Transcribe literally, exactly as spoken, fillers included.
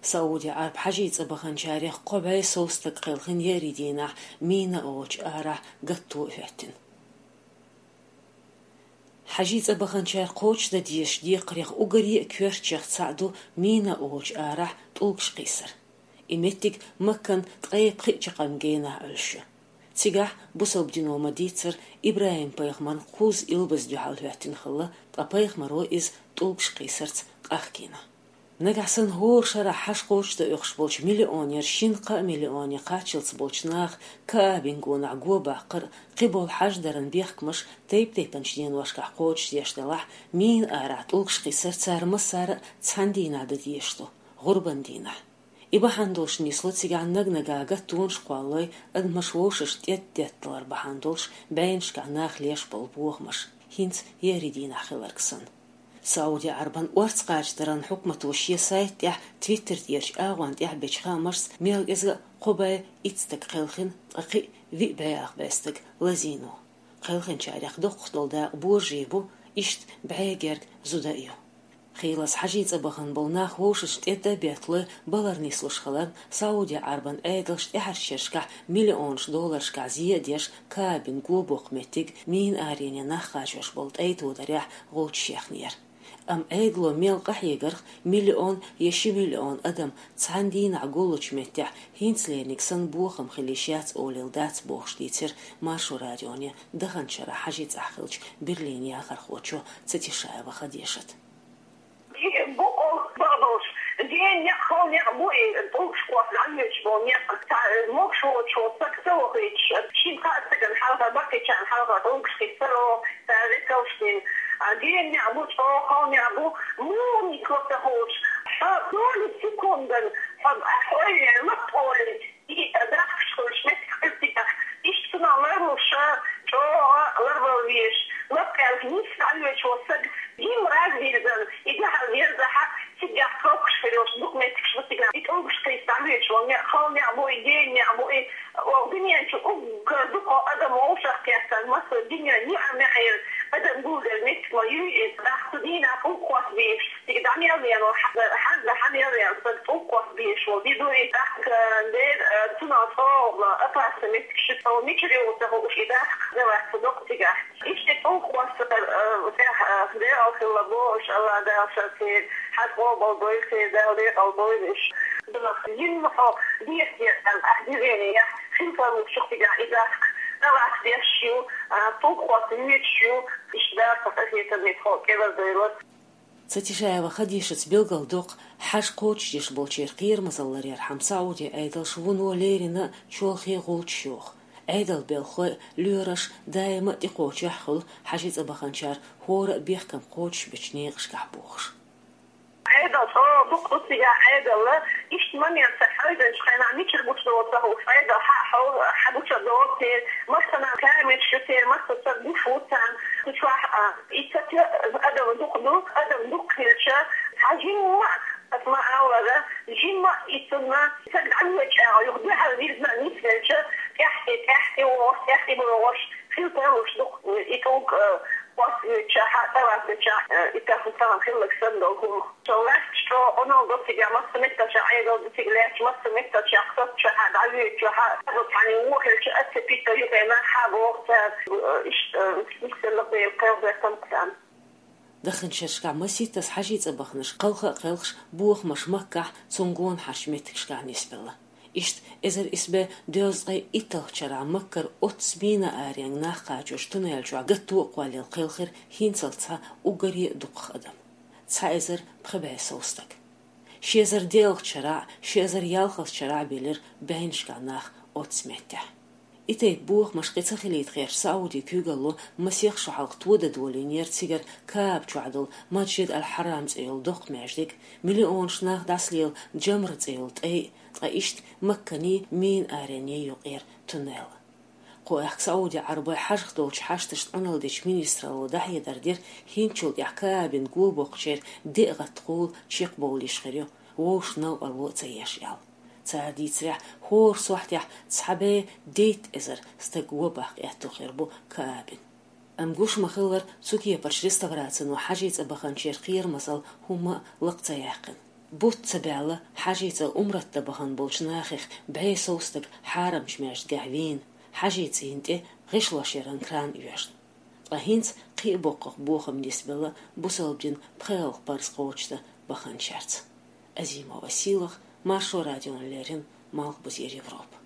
Сауди Ӏарб хьажий цӀа баханчарех кхо бӀе сов стаг кхелхина еарий дийнахь Мина олучу арахь гатто а хӀоьттина. Хьажий цӀа баханчара кхочушдан дезачу декхарех уггаре а коьртачех цхьаъ ду Мина олучу арахь тӀулгаш кхийсар. И меттиг Маккан ткъе пхи чаккхарма генахь Ӏуьллуш ю. Цигахь бусалба дино ма-дийццара ИбрахӀим-пайхамарна кхузза илбаза дуьхьал хӀоьттина хилла, ткъа пайхамаро иза тӀулгаш кхийсарца къахкийна. Нагахь санна хӀора шарахь хьаж кхочушдан оьхуш болчу миллионера шина-кхаа миллионе кхаччалц болчу наха Каабин гонах го баккхар а, кхиболу хьаждаран бехкамаш тайп-тайпанчу деношкахь кхочушдеш делахь, Мина арахь тӀулгаш кхийсар цара массара а цхьана дийнахь дан дезаш ду, гӀурбан дийнахь. И бахьана долуш нисло цигахь наг-наггахь гаттонаш кхоллалой, адамаш вовшашна тӀетта детталар бахьана долуш бӀеннашкахь наха леш болу бохамаш, хӀинца еарий дийнахь хилларг санна. Сауди Ӏарбан орца кхачадаран хьукмато шен сайта тӀехь, Twitter тӀерачу агӀонна тӀехь бечу хаамашца, мел кӀезга а кхо бӀе итт стаг кхелхина, ткъа кхин а виъ бӀе ах бӀе стаг лазийна ву. Кхелхинчарех доккхах долу дакъа божарий бу, иштта бӀе герга зуда а ю. Хийлаза хьажий цӀа бахана болу нах вовшашна тӀетта а бетталой, балар нислуш хиларна, Сауди Ӏарбан Ӏедалша тӀаьхьарчу шерашкахь миллионаш долларшкахь зе а деш, Каабин го боккху меттиг Мина арене нах кхачош болу тӀай тодарехь гӀулчаш яьхнера. Амма Ӏедало мел къахьегарх, миллион я ши миллион адам цхьана дийнахь гуллучу меттехь хӀинцалениг санна бохам хила йиш яц олийла дац бохуш дийцира Маршо радионе даханчу шарахь хьажий цӀахь хиллачу Берлинан яхархочо Цатишаева Хадишата. И бу оха бакъдолуш, ден некъ, хала некъ бу и, тӀулгаш кхосса дӀавоьдуш болу некъ. Цхьа могуш воцуш волу стаг ца вахийтуш, шина-кхаа стагана хьалха, баккхийчарна хьалха тӀулгаш кхиссаро, цара векалш дина. А ден некъ бу, чӀогӀа хала некъ бу, муха нисло ца хуучу. Хьо доли секундан, хьо, хьо ойла лап олий, и дахкаш хуьлуш меттиг хир цигахь, иштта цунах ларлуш, чӀогӀа ларвала везаш, лапкъелла нисса дӀавоьдуш волу стаг, дим раз вирзан, и дуьхьал верзахь а, цигахь кхоккхуш хир йолуш дукха меттигаш бу цигахь. И тӀулгаш кхийса дӀавоьдуш волу некъ, хала некъ бу и, ден некъ бу и, оха дуьнен чу уггар дукха адам вовшах кхеттан, массо а дуьнен юьхьар мехьера адам гулделла меттиг ма ю иза. Даха цу дийнахь тӀулг кхосса безаш, цига дӀа мел веана, хьаза, хьаза дӀа хьан мел веана стаг тӀулг кхосса безаш волу де ду иза. Дахка дера, цунах чӀогӀа опасный меттиг шу, цо мичара йогӀу ца хууш, и дахка ца вац ца доккху цигахь. Иштта тӀулг кхоссар, э, тӀехь, э, декъал хилла бохуш, Алла Дала ша церан хьаьж къобал бойла, церан Дала декъал бойла уьш. Динах, динна хьо дехьа дехьа, ахь дивене яхь, хин тарлуш шу цигахь и дахка, тӀалаца деш ю, а, тӀулг кхосса воьдуш ю, иштта Дала сан къахетамца хьо кӀелар дойла. Цатишаева Хадишас билгалдоккху, хьаж кхочушдеш болчеран кхерамазалларъярхьама Сауди Ӏедалша вуно леррина а чолхе гӀулчаш йоху. Ӏедалан белхалой а, лоьраш а даима а тӀекхочехь хуьлу хьажий цӀа баханчара хӀора а бехкам кхочушбечу некъашкахь бохуш. Ӏедал чӀогӀа дукха ду цигахь, Ӏедал, иштта момент ца хьаьвзинчу хенахь мичара гучудолу ца хууш, Ӏедал хьа а хьовзу, хьа гучур долу церан, массанхьа камераш ю церан, массо а стаг гуш ву царна. Цу чохь, а, и ца те адам дукха ду, адам дукха хилча, цхьа жимма а, аса ма-аллара, жимма а и цунна стаг дӀавоьдучу агӀор юха дуьхьал вирзина а нисвелча, тӀаьхье, тӀаьхье вогӀуш, тӀаьхье богӀуш, хила тарлуш ду и тӀулг, а, кхосса воьдучохь а, тӀалаца воьдучохь а, и тахана тахана хилларг санна долу хӀума. Ша лаьтташ чӀогӀа къамел до цигахь, массо а меттигашкахь Ӏедал ду цига лаьтташ, массо а меттигашкахь сацчохь а, дӀавоьдучохь а, цхьаъ хьанна вон хилча а ца питта юххе нах хьа боху цара, иштта, нисделла Делан кхел бертан царна. Даханчу шерашкахь масийттаза хьажий цӀа баханарш кхалха а кхелхаш, бохамаш Маккахь, цунна гонахарчу меттигашкахь нисбелла. Иштта эзар исс бӀе дезткъе итталгӀачу шарахь Маккара оццу Мина аренга нах кхачочу туннель чохь гатто а кхоллаелла кхел хир хӀинццалц цхьа уггаре а дукхах адам. Цхьа эзар пхи бӀе сов стаг. Ши эзар диъалгӀачу шарахь а, ши эзар ялхалгӀачу шарахь а белира бӀеннашкахь нах оццу меттехь. И тайпа бохамаш кхин ца хилийта гӀерташ Сауди куьйгалло масех шо хьалха тодан долийнера цигара Каъба чохь долу Масжид аль-Хьарам цӀе йолу доккха маьждиг, миллионаш нах дӀасалела Джамра цӀе йолу тӀай а, ткъа иштта Макканий, Мина аренний юкъера туннел. Кху аьхка Сауди Ӏарбой хьажах долчу хьашташна Ӏуналла дечу министралло дӀахьедар дира, хӀинцачул тӀаьхьа Каъбин го боккхучеран деа гӀаттахула чекхбовлийш хир ю, вовшашна новкъарло а ца еш аьлла. Цара дийцарехь, хӀора сохьтехь цхьа бӀе дейтта эзар стаг го баккха аьтто хир бу Каъбин. Амма гуш ма-хиллара, цу кепарчу реставрацино хьажий цӀа баханчеран кхерамазалла хӀумма а лакха ца яьккхина. Бутт ца баьлла Хьажий цӀа умрат да бахана болчу нахах бӀе сов стаг хьарамчу маьждигехь вийна, Хьажий цӀийнан тӀе гӀишлош яран кран оьшна. Ткъа хӀинца кхин а боккхах бохам нисбелла бусалба дин пхоьалгӀа парз кхочушдан баханчаьрца. Азимова Сийлаха, Маршо радиона леррина, Малхбузера Европа.